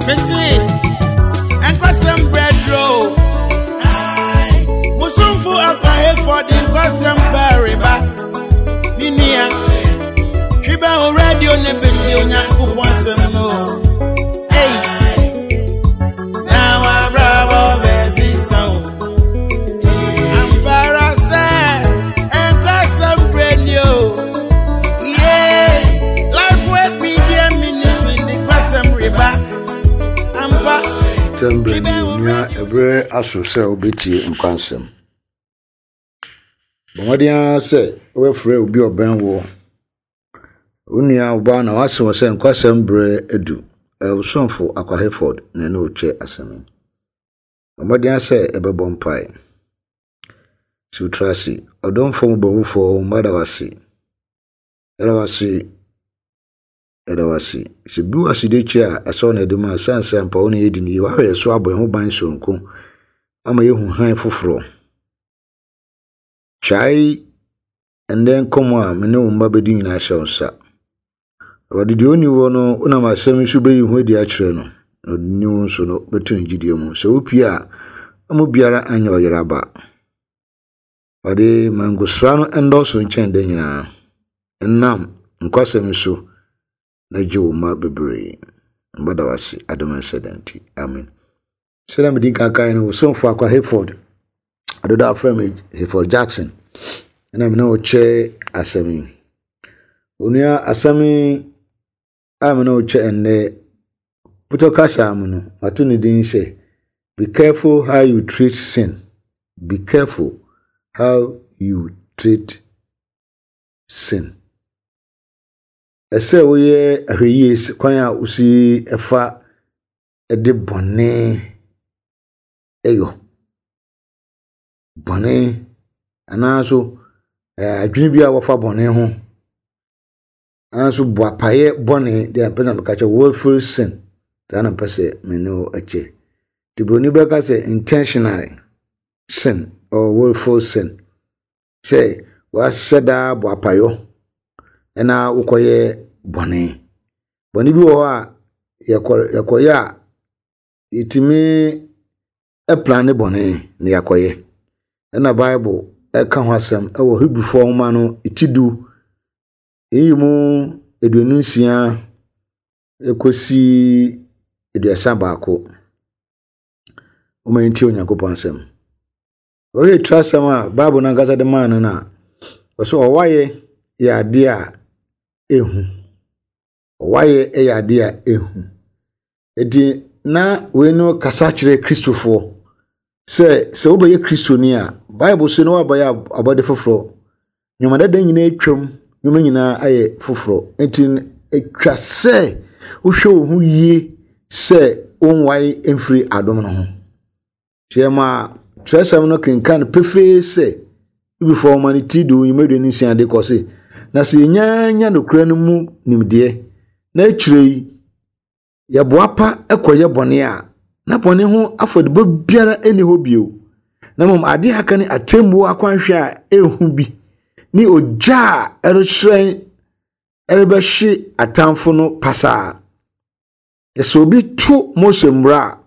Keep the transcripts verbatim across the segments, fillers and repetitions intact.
Mese, nkwasɛm brɛdro. Musumfo akwahefo de nkwasɛm bɛreba. Me nua, twi bɛ wo radio ne bɛti Onyankopɔn asɛm no. Ei, na wabrabɔ bɛsesa wo. Ampara sɛ nkwasɛm brɛ ni o. Yeah, Life Word Media Ministry de nkwasɛm reba. Ampa. Sɛm berɛ ni onua, ɛberɛ aso sɛ wobɛtie nkwansɛm. Bɔ mmɔden ara sɛ wobɛfrɛ obi a ɔbɛn wo, wo nua ɔbaa na wase wɔ sɛ nkwasɛm berɛ adu. Ɛwosomfo Akwa Hayford na ɛne wokyɛ asɛm yi. Bɔ mmɔden ara sɛ ɛbɛbɔ mpae. Si wo tiri ase. Ɔdomfo mmɔbɔhufoɔ, mma da wase. Yɛda wase. Yɛda wase. Sɛ bi wɔ aseda akyi a ɛsɛ wo na ɛde ma, ɛsiane sɛ ampa wo ne yɛdi no yie. Woahwɛ yɛ so abɔ yɛn ho ban sononko ama yɛhu hann foforɔ. Kyae ɛndɛ nkɔmmɔ a me ne wo mma bɛdi nyinaa hyɛ wo nsa. Awurade, deɛ ɔnni wɔ no, wonam asɛm yi so bɛyi ho adi akyerɛ no, na ɔde ni wo nso no bɛto ne gyidie mu. Sɛ wopie a, ɔmo biara anyɛ ɔyere aba. Awurade, ma ngosra no ndɔɔso nkyɛn da nyinaa. Ɛnam nkwasɛm yi so na gye wo mma bebree. Mba da wase adom nhyɛ da nti. Amen. Sɛdeɛ mede nka kae no, wo somfo Akwa Hayford, adodo afrɛ me Hayford Jackson, ɛna me ne wo kyɛ asɛm yi. Onua, asɛm yi a me ne wo kyɛ ɛnnɛ, putɔ kasa mu no, mato ne din sɛ "Be careful how you treat sin". Be careful how you treat sin. Ɛsɛ woyɛ ahwɛyie kwan a wosi ɛfa ɛde bɔne ɛyɔ. Bɔne anaaso adwene bi a wɔfa bɔne ho. Anaaso boapayɛ bɔne deɛ mpɛ sɛ meka kyerɛ, willful sin. Saa na mpɛ sɛ me ne wo kyɛ. Nti Buroni bɛka sɛ intentional sin or willful sin. Sɛ wahyɛ daa boapayɔ ɛna wokɔyɛ bɔne. Bɔne bi wɔ hɔ a yɛkɔ yɛkɔyɛ a yɛtumi ɛplan bɔne na yɛakɔyɛ. Ɛna Bible ɛka ho asɛm ɛwɔ Hebrifoɔ nwoma no ti du eyi mu aduonu nsia ekosi aduasa baako. Wɔma yɛntie Onyankopɔn asɛm. Wɔyɛ tiri asɛm a Bible no ankasa de maa no no a, ɔsɛ ɔwayɛ yɛ adeɛ a ehu. Ɔwayɛ yɛ adeɛ a ehu. Eti na wei no kasa kyerɛ Kristofoɔ sɛ sɛ wobɛyɛ Kristoni a, Bible so no wabɛyɛ abɔde foforɔ. Nneɛma dada nyinaa atwam, nneɛma nyinaa ayɛ foforɔ. Nti atwa sɛ wohwɛ wo ho yie sɛ wonwae mfiri adom no ho. Kyerɛ ma twerɛsɛm no kenkan pefee sɛ Hebrifoɔ nwoma no ti du nnwuma aduonu nsia de kɔ se, na sɛ yɛnya nya nokorɛ no mu nimdeɛ na akyire yi yɛboa pa kɔyɛ bɔne a, na bɔne ho afɔdebɔ biara nni hɔ bio, na mmom adeɛ a aka ne atemmuo akwanhwɛ a ɛnhu bi ne ogya a ɛrehyerɛn ɛrebɛhye atamfo no pasaa. Sɛ obi to Mose mmara a,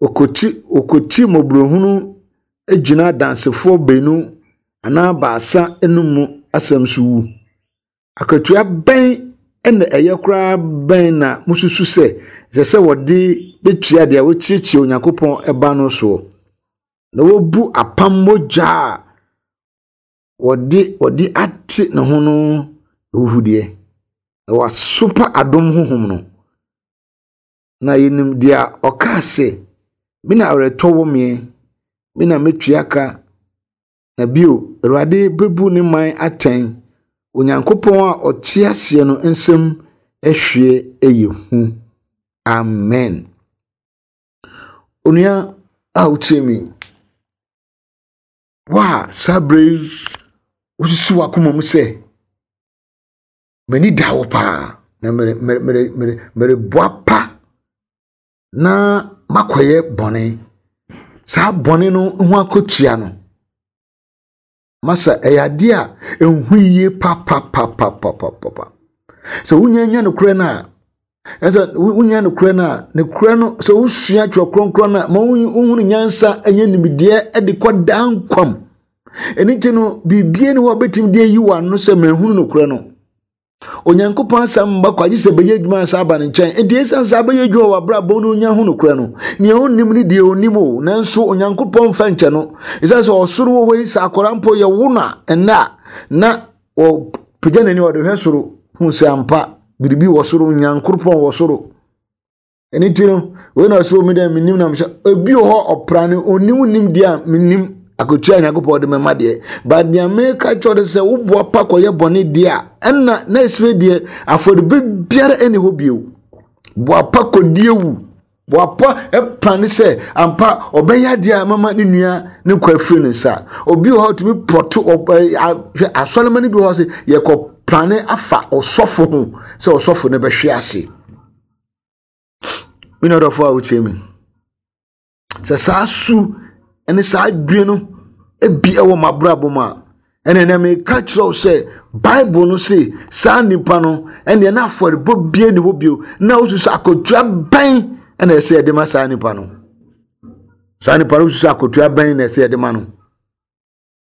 okoti okoti mmɔborɔhunu gyina adansefoɔ baanu anaa baasa anum asɛm so wu. Akatua bɛn ɛna ɛyɛ koraa bɛn na mususu sɛ ɛsɛ sɛ wɔde betua deɛ wɔtiatia Onyankopɔn ɛba no soɔ na wɔbu apam mogya a wɔde wɔde ate ne ho no ahuhudeɛ na wasopa adom honhom no? Na yɛnim deɛ ɔkaa sɛ, "Me na awerɛtɔ wɔ me, me na metua ka," na bio, "Awurade bɛbu ne man atɛn." Onyankopɔn a ɔte aseɛ no nsɛm ahwie ɛyɛ hu. Amen. Onua a wotie mi, wo a saa berɛ yi wosusu w'akoma mu sɛ m'ani da wo paa na mere mere mere mere mereboa pa na makɔyɛ bɔne, saa bɔne no ho akatua no masa ɛyɛ adeɛ a ɛnhu yie papapapapapapa. Sɛ wonya nya nokorɛ no a, Ɛsɛ wonya nokorɛ no a, nokorɛ no sɛ wosua Twerɛ Kronkron no a, ma wohunu nyansa ɛnyɛ nimdeɛ de kɔ daa nkwam. Ɛno nti no, biribie ne hɔ a wobɛtumi de ayi w'ano sɛ mahunu nokorɛ no. Onyankopɔn asɛm mma kwa gye sɛ bɛyɛ adwuma ansa aba ne nkyɛn. Enti ɛsiane sɛ abɛyɛ adwuma wɔ abrabɔ no onya ho nokorɛ no, nea ɔnnim ne deɛ ɔnim o, nanso Onyankopɔn mfa nkyɛ no. Ɛsiane sɛ ɔsoro wɔ hɔ yi, sɛ akwadaa mpo yɛwo no a, ɛnnɛ a, na ɔpagya n'ani ɔde hwɛ soro hu sɛ ampa biribi wɔ soro, Onyankopɔn wɔ soro. Ɛno nti no, wei na ɔsɛ omi dɛ menim na mehyɛ ebi wɔ hɔ ɔpra no onim nim deɛ a menim akotua a Nyankopɔn de mɛma deɛ, but deɛ meka kyerɛ de sɛ woboa pa kɔyɛ bɔne deɛ a, ɛnna na esire deɛ afɔrebɔ biara ɛni hɔ bio. Boa pa kɔdi ewu, boa pa ɛpra ne sɛ ampa ɔbɛyɛ adeɛ a mama ne nua ne nkwa afiri ne nsa. Obi wɔ hɔ tumi pɔto hwɛ asɔrema no bi wɔ hɔ sɛ yɛkɔ prane afa ɔsɔfo ho sɛ ɔsɔfo no bɛhwe ase. Me nua dɔfo a wotie me, sɛ saa su ne saa adwene no ebi wɔ m'abrabɔ mu a, ɛna ɛnɛ meka kyerɛ wo sɛ Bible no se saa nipa no ɛnneɛ na afɔrebɔ bie ne hɔ bio, na wosusu akotua bɛn ɛna ɛsɛ yɛde ma saa nipa no. Saa nipa no wosusu akotua bɛn na ɛsɛ yɛde ma no.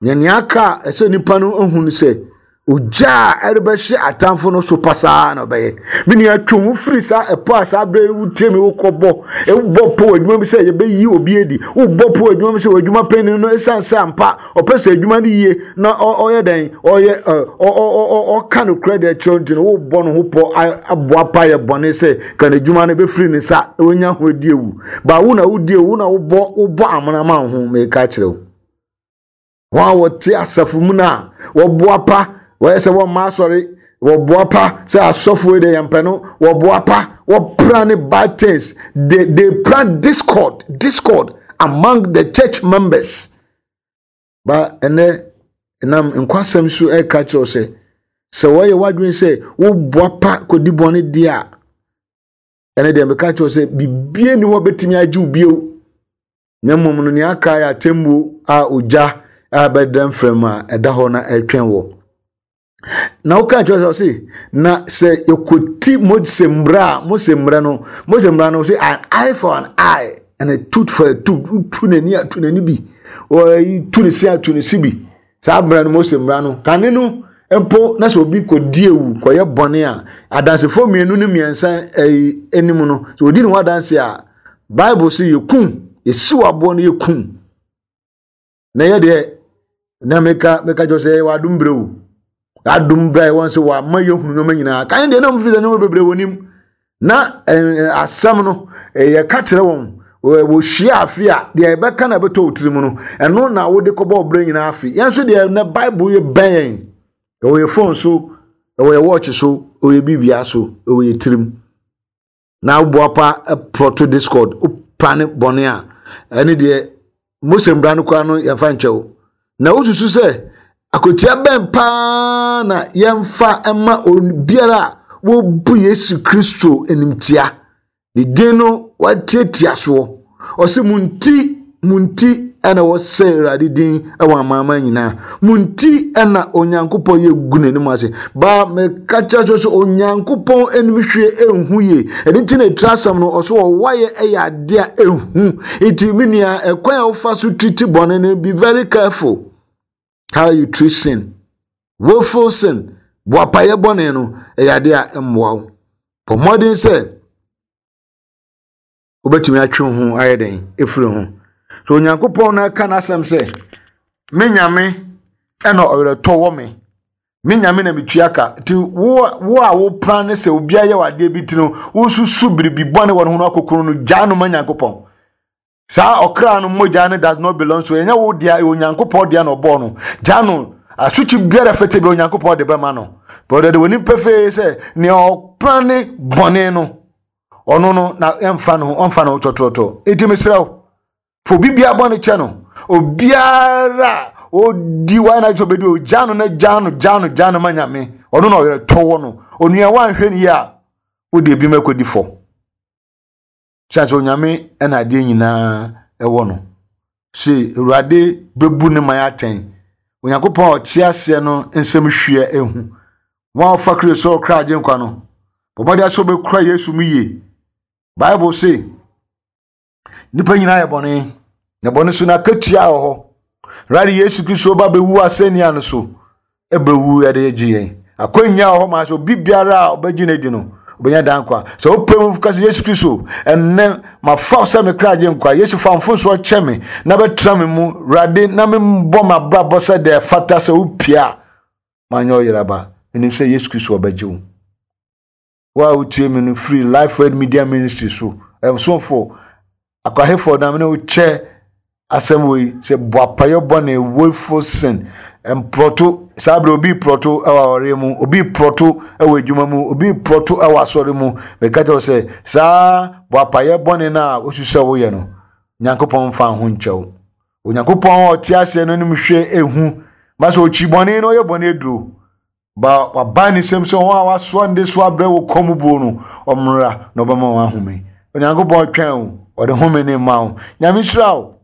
Nea nea aka a ɛsɛ nipa no ehu no sɛ ogya a ɛrebɛhyɛ atamfo no so pasaa na ɔbɛyɛ. Me nua, twe ho firi saa ɛpɔ a saa abere wotie me wokɔbɔ wobɔ po wɔ adwuma bi sɛ yɛbɛyi obi adi, wobɔ po wɔ adwuma bi sɛ wɔ adwuma panyin no ɛsiane sɛ ampa ɔpɛ sɛ adwuma no yie na ɔyɛ dɛn ɔyɛ ɔka no korɛ deɛ kyerɛ nti no wobɔ no ho pɔ aboa pa yɛ bɔne sɛ ka n'adwuma no bɛfiri ne nsa na wonya ho adi ewu. Ba wo na wodi ewu na wobɔ wobɔ amena ma wo ho. Meka kyerɛ wo, wɔn a wɔte asafo mu no a wɔboa pa wɔyɛ sɛ wɔmma asɔre, wɔboa pa sɛ asɔfo yi de yɛn no, wɔboa pa wɔpra ne bad things. they they plan discord discord among the church members. Ba ɛnɛ nam nkwasɛm so ɛka kyerɛw sɛ sɛ wɔyɛ w'adwene sɛ woboa pa kɔdi bɔne deɛ a, ɛnɛ deɛ meka kyerɛw sɛ bibie ni hɔ bɛtumi agye wo bio, na mmom no nea aka yɛ atemmuo a ogya a bɛda mfram a ɛda hɔ na ɛretwɛn wɔ. Na woka kyerɛ sɛ ɔse na sɛ yɛkɔti Mose mmara a, Mose mmara no Mose mmara no sɛ an eye for an eye and a tooth for a tooth, tu n'ani a tu n'ani bi, ɔyi tu ne se a tu ne se bi. Saa mmara no, Mose mmara no kane no mpo, na sɛ obi kɔdi ewu kɔyɛ bɔne a, adansefoɔ mmienu ne mmiɛnsa ɛyi anim no, sɛ odi ne ho adanse a, Bible sɛ yɛkum, yɛsiw aboɔ no yɛkum. Na yɛ deɛ na meka meka kyerɛ sɛ yɛwɔ adom berɛ o, adom berɛ a ɛwɔ sɛ wɔama yɛhunu nneɛma nyinaa. Kan deɛ na ɔmfiri sɛ nneɛma bebree wɔ nim na asɛm no yɛka kyerɛ wɔn, wɔhyia afe a deɛ yɛbɛka na ɛbɛtɔ wo tirim no, ɛno na wode kɔbɔ wo berɛ nyinaa afe. Yɛn nso deɛ na Bible yɛ bɛn yɛn, ɛwɔ yɛ phone so, ɛwɔ yɛ watch so, ɛwɔ yɛ bibia so, ɛwɔ yɛ tirim. Na woboa pa prɔto discord wopa ne bɔne a, ɛne deɛ Mose mmara no koraa no yɛmfa nkyɛw. Na wosusu sɛ akotua bɛn paa na yɛmfa ma obiara a wɔbu Yesu Kristo animtia, ne din no watiatia soɔ. Ɔsɛ mo nti, mo nti ɛna wɔsɛ Awurade din ɛwɔ amanaman nyinaa, mo nti ɛna Onyankopɔn yɛ gu n'anim ase. Ba meka kyerɛ so sɛ Onyankopɔn anim hwie ɛnhu yie. Ɛno nti na ɛtira asɛm no ɔso ɔwayɛ ɛyɛ adeɛ a ɛnhu. Nti me nua, ɛkwan a wofa so treat bɔne no, be very careful how you treat sin. Willful sin, boapayɛ bɔne no, ɛyɛ adeɛ a ɛmmoa wo. Bɔ mmɔden sɛ wobɛtumi atwe wo ho ayɛ dɛn ɛfiri ho. So Onyankopɔn no aka n'asɛm sɛ me Nyame ɛna ɔwerɛtɔ wɔ me, me Nyame na metua ka. Nti wo wo a wopra ne sɛ obi ayɛ w'adeɛ bi ti no, wosusu biribi bɔne wɔ ne ho no akokoro no, gyaa no ma Nyankopɔn. Saa ɔkra no mogya no does not belong so, ɛnyɛ wo dea, ɛyɛ Onyankopɔn dea na ɔbɔɔ no. Gyaa no, asotwe biara fete bi Onyankopɔn de bɛma no. Bɔdɔ de w'anim pefee sɛ nea ɔpra ne bɔne no, ɔno no na ɛmfa no, ɔmfa no tɔtrɔtɔ. Nti mesrɛ wo, fo bibia bɔne kyɛ no. Obiara odi wa na obedi o, gyaa no na gyaa no, gyaa no, gyaa no ma Nyame. Ɔno na ɔwerɛtɔ wɔ no. Onua wanhwɛ ne yie a, wode ebi ma kɔdi fɔ. Kyerɛ sɛ Onyame ɛna adeɛ nyinaa ɛwɔ no. Se Awurade bɛbu ne man atɛn. Onyankopɔn a ɔte aseɛ no nsɛm hwie ehu. Wɔn a wɔfa Kristo sɛ ɔkra agye nkwa no, Bɔ mmɔden sɛ wobɛkura Yesu mu yie. Bible se nnipa nyinaa yɛ bɔne, na bɔne so no akatua wɔ hɔ. Awurade Yesu Kristo ba bɛwu asɛnnua no so, ɛbɛwu ɛde gye yɛn. Akwannya wɔ hɔ ma sɛ obi biara a ɔbɛgye no adi no, ɔbɛnya daa nkwa. Sɛ wopɛ mu ka sɛ Yesu Kristo, ɛnnɛ mafa sɛ me kra gye nkwa. Yesu fa mfomsoɔ kyɛ me na bɛtena me mu. Awurade, na membɔ m'abrabɔ sɛ deɛ ɛfata sɛ wopie a, manyɛ ɔyeraba. Menim sɛ Yesu Kristo ɔbɛgye wo. Wo a wotie me no firi Life Word Media Ministry so, ɛsomfo akwahefo na mene wo kyɛ asɛm wei sɛ boapayɔ bɔne, willful sin, mprɔto. Saa bere obi prɔto ɛwɔ awareɛ mu, obi prɔto ɛwɔ adwuma mu, obi prɔto ɛwɔ asɔre mu. Meka kyerɛ wo sɛ saa boapayɛ bɔne no a wosu sɛ woyɛ no, Nyankopɔn mfa ho nkyɛw. Onyankopɔn a ɔte aseɛ no anim hwɛ ehu ma sɛ ɔkyi bɔne no, ɔyɛ bɔne aduro. Ba waban ne nsɛm sɛ wɔn a wasoa ne so abrɛ wɔ kɔn mu buo no, ɔmmra na ɔbɛma wɔn ahome. Onyankopɔn twɛn wo, ɔde home ne ma wo. Nyame hyira wo.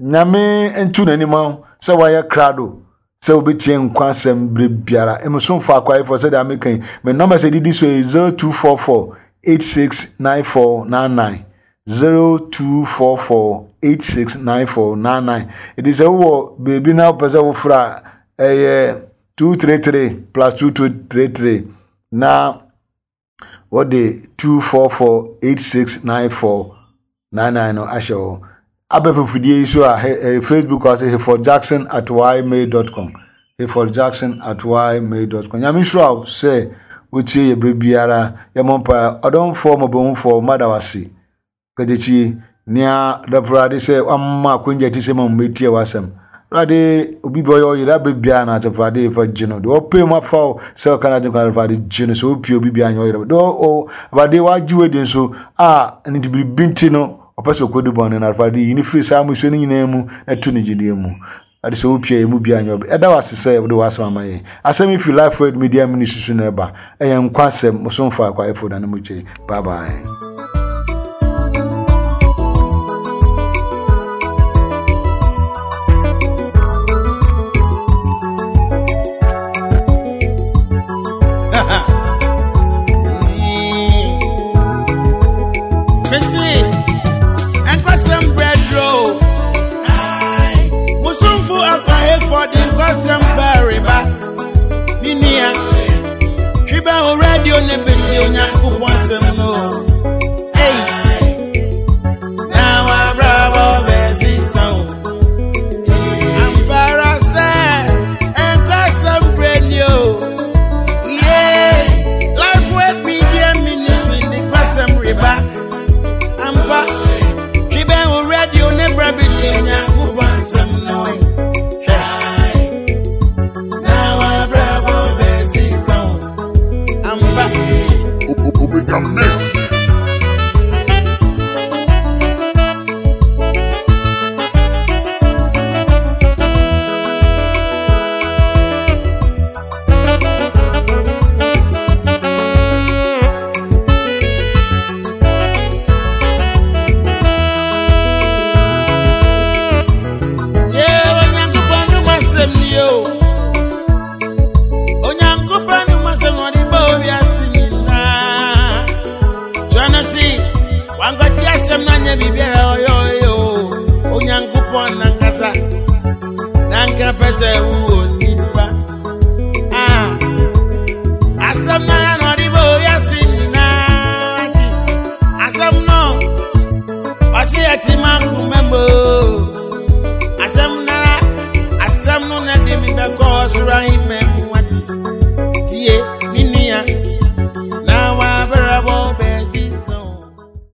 Nyame nto n'anim wo sɛ wayɛ krado sɛ wobɛtie nkwa asɛm berɛ biara. Emosomfo akwaefoɔ sɛdeɛ ameka yi, me nɔmba sɛ didi so yɛ zero two four four eight six nine four nine nine, zero two four four eight six nine four nine nine. Ɛdi sɛ wowɔ beebi na wopɛ sɛ wofra a, ɛyɛ two three three plus two two three three na wɔde two four four eight six nine four nine nine no ahyɛ hɔ. Abɛfofodie yi so a Facebook ase Hayford Jackson at ymail dot com, Hayford Jackson at ymail dot com. Nyame nhyira wo sɛ wotie yɛ berɛ biara. Yɛmmɔ mpaeɛ. Ɔdɔmfoɔ mmɔbɔhufoɔ, mada wo ase. Kagyekyi nea dɔfrade sɛ wamma akwanya ti sɛ ma mmetie w'asɛm. Awurade, obi bi ɔyɛ ɔyere abɛ biara na asɛmfrade fa gye no. Deɛ ɔpɛ mu afa wo sɛ ɔka no agye nkwa asɛmfrade gye no. Sɛ wopie obi biara nyɛ ɔyere. Deɛ ɔ Awurade wagye wo adi nso a ne nti biribi nti no ɔpɛ sɛ ɔkɔdi bɔne no, asɛmfrade yi ne firi saa mmusuo no nyinaa mu na to ne gyidie mu. Awurade sɛ wopie yɛ mu biara nyɛ ɔbɛ. Ɛda wo ase sɛ wode w'asɛm ama yɛn. Asɛm yi firi Life Word Media Ministry so na ɛba. Ɛyɛ nkwa asɛm. Mosomfo akwaefo na ne mo kyɛ. Bye bye. Miss. Asem nara, asem no na di mi be ko sura ime.